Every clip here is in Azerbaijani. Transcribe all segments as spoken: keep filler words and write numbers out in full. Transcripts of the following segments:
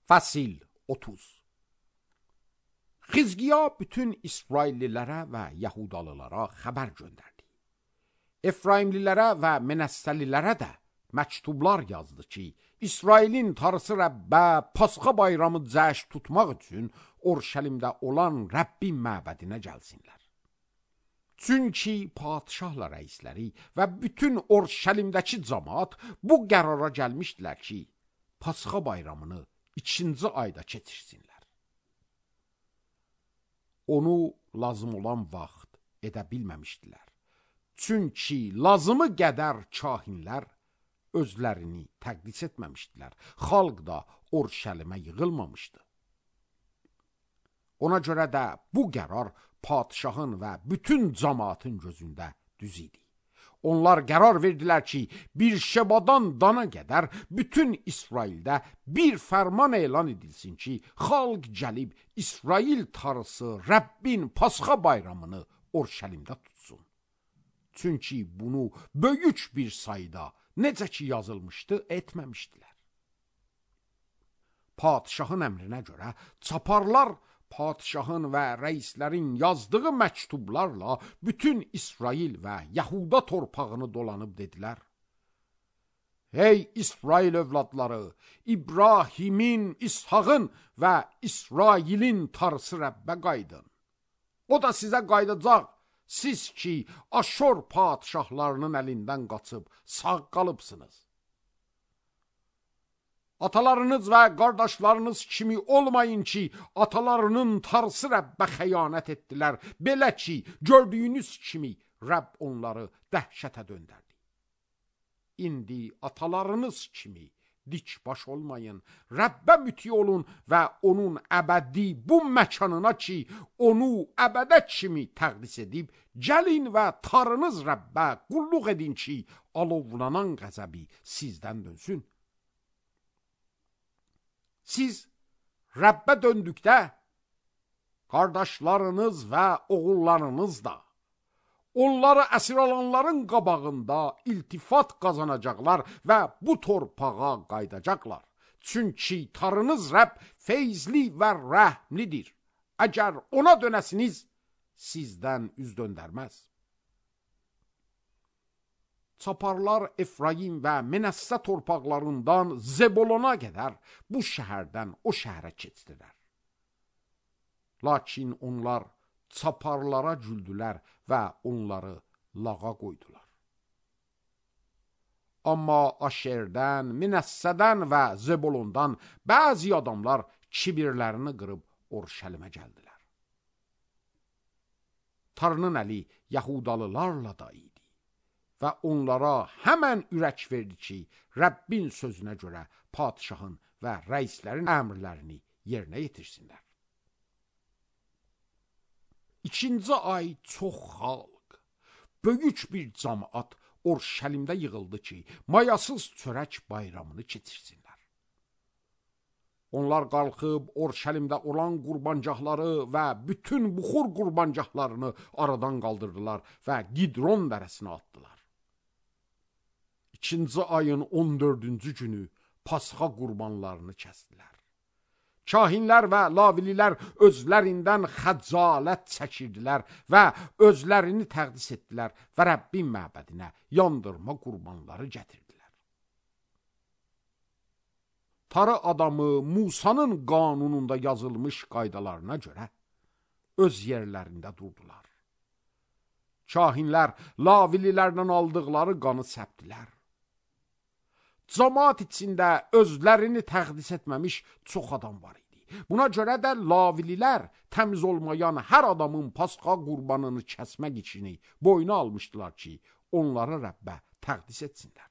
Fəsil otuz. Xizqiya bütün İsraillilərə və Yahudalılara xəbər göndərdi. Efraimlilərə və Menəssəlilərə də məktublar yazdı ki, İsrailin Tanrısı Rəbbə Pasxa bayramı cəşn tutmaq üçün Urşəlimdə olan Rəbbin məbədinə gəlsinlər. Çünki padişahla rəisləri və bütün Urşəlimdəki cəmaət bu qərara gəlmişdilər ki, Pasxa bayramını ikinci ayda keçirsinlər. Onu lazım olan vaxt edə bilməmişdilər. Çünki lazımı qədər kahinlər özlərini təqdis etməmişdilər. Xalq da Urşəlimə yığılmamışdı. Ona görə də bu qərar padişahın və bütün cəmaatın gözündə düz idi. Onlar qərar verdilər ki, bir Şebadan Dana qədər bütün İsraildə bir fərman elan edilsin ki, xalq gəlib İsrail Tanrısı Rəbbin Pasxa bayramını Urşəlimdə tutsun. Çünki bunu böyük bir sayda necə ki yazılmışdı, etməmişdilər. Padişahın əmrinə görə çaparlar padişahın və rəislərin yazdığı məktublarla bütün İsrail və Yahuda torpağını dolanıb dedilər: Ey İsrail övladları, İbrahimin, İshağın və İsrailin Tanrısı Rəbbə qaydın. O da sizə qaydacaq, siz ki, Aşor padişahlarının əlindən qaçıb sağ qalıbsınız. Atalarınız və qardaşlarınız kimi olmayın ki, atalarının Tanrısı Rəbbə xəyanət etdilər. Belə ki, gördüyünüz kimi Rəbb onları dəhşətə döndərdi. İndi atalarınız kimi dik baş olmayın, Rəbbə müti olun və onun əbədi bu məkanına ki, onu əbədə kimi təqdis edib, gəlin və Tanrınız Rəbbə qulluq edin ki, alovlanan qəzəbi sizdən dönsün. Siz Rəbbə döndükdə, qardaşlarınız və oğullarınız da, onları əsir alanların qabağında iltifat qazanacaqlar və bu torpağa qaydacaqlar. Çünki Tanrınız Rəbb feyzli və rəhmlidir. Əgər ona dönəsiniz, sizdən üz döndərməz. Çaparlar Efraim və Menəssə torpaqlarından Zebolona qədər bu şəhərdən o şəhərə keçdilər. Lakin onlar çaparlara güldülər və onları lağa qoydular. Amma Aşerdən, Menəssədən və Zebolondan bəzi adamlar kibirlərini qırıb Urşəlimə gəldilər. Tanrının əli Yahudalılarla da idi və onlara həmən ürək verdi ki, Rəbbin sözünə görə padişahın və rəislərin əmrlərini yerinə yetirsinlər. İkinci ay çox xalq, böyük bir cəmaət Urşəlimdə yığıldı ki, mayasız çörək bayramını keçirsinlər. Onlar qalxıb Urşəlimdə olan qurbancaqları və bütün buxur qurbancaqlarını aradan qaldırdılar və Qidron dərəsinə atdılar. İkinci ayın on dördüncü günü Pasxa qurbanlarını kəsdilər. Kahinlər və lavililər özlərindən xəcalət çəkirdilər və özlərini təqdis etdilər və Rəbbin məbədinə yandırma qurbanları gətirdilər. Tarı adamı Musanın qanununda yazılmış qaydalarına görə öz yerlərində durdular. Kahinlər lavililərdən aldıqları qanı səpdilər. Cəmaət içində özlərini təqdis etməmiş çox adam var idi. Buna görə də lavililər təmiz olmayan hər adamın Pasxa qurbanını kəsmək işini boyuna almışdılar ki, onları Rəbbə təqdis etsinlər.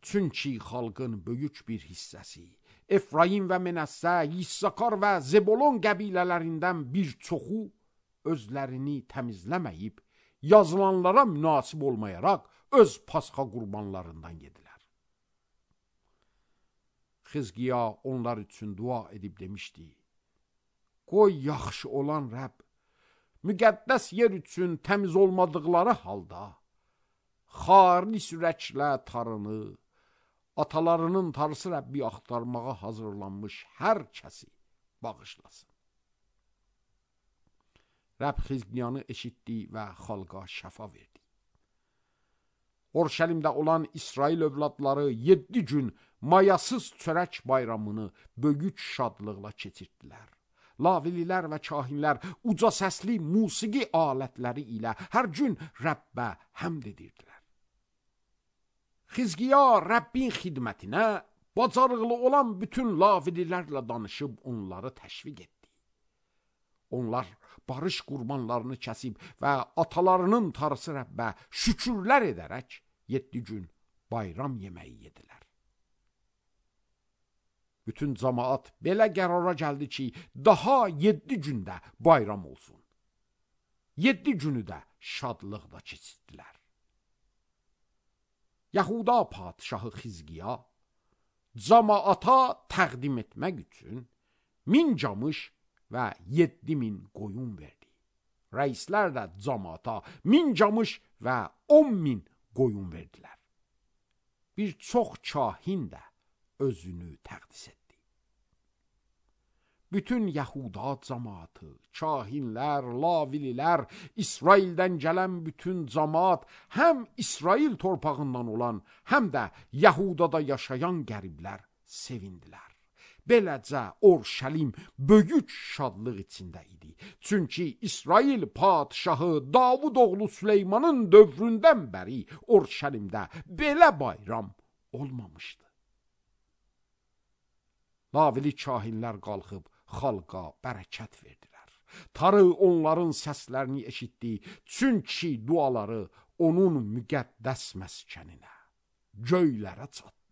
Çünki xalqın böyük bir hissəsi, Efraim və Menəssə, İssakar və Zebolon qəbilələrindən bir çoxu özlərini təmizləməyib, yazılanlara münasib olmayaraq öz Pasxa qurbanlarından yedilər. Xizqiya onlar üçün dua edib demişdi: Qoy yaxşı olan Rəbb, müqəddəs yer üçün təmiz olmadıqları halda, xalis ürəklə Tanrını, atalarının tarısı Rəbbi axtarmağa hazırlanmış hər kəsi bağışlasın. Rəbb Xizqiyanı eşitdi və xalqa şəfa verdi. Orşəlimdə olan İsrail övladları yeddi gün mayasız çörək bayramını böyük şadlıqla keçirdilər. Lavililər və kahinlər uca səsli musiqi alətləri ilə hər gün Rəbbə həmd edirdilər. Xizqiya Rəbbin xidmətinə bacarıqlı olan bütün lavililərlə danışıb onları təşviq etdi. Onlar barış qurbanlarını kəsib və atalarının tarısı Rəbbə şükürlər edərək yeddi gün bayram yeməyi yedilər. Bütün cəmaat belə qərara gəldi ki, daha yeddi gündə bayram olsun. Yeddi günü də şadlıqla keçirdilər. Yahuda padşahı Xizqiya cəmaata təqdim etmək üçün min camış və yeddi min qoyun verdi. Rəislər də cəmaata min camış və on min qoyun verdilər. Bir çox kahin də özünü təqdis etdi. Bütün Yahuda cəmaatı, kahinlər, lavililər, İsraildən gələn bütün cəmaat, həm İsrail torpağından olan, həm də Yahudada yaşayan qəriblər sevindilər. Beləcə Orşəlim böyük şadlıq içində idi. Çünki İsrail padşahı Davud oğlu Süleymanın dövründən bəri Orşəlimdə belə bayram olmamışdı. Lavili kahinlər qalxıb xalqa bərəkət verdilər. Tarı onların səslərini eşitdi, çünki duaları onun müqəddəs məskəninə, göylərə çatdı.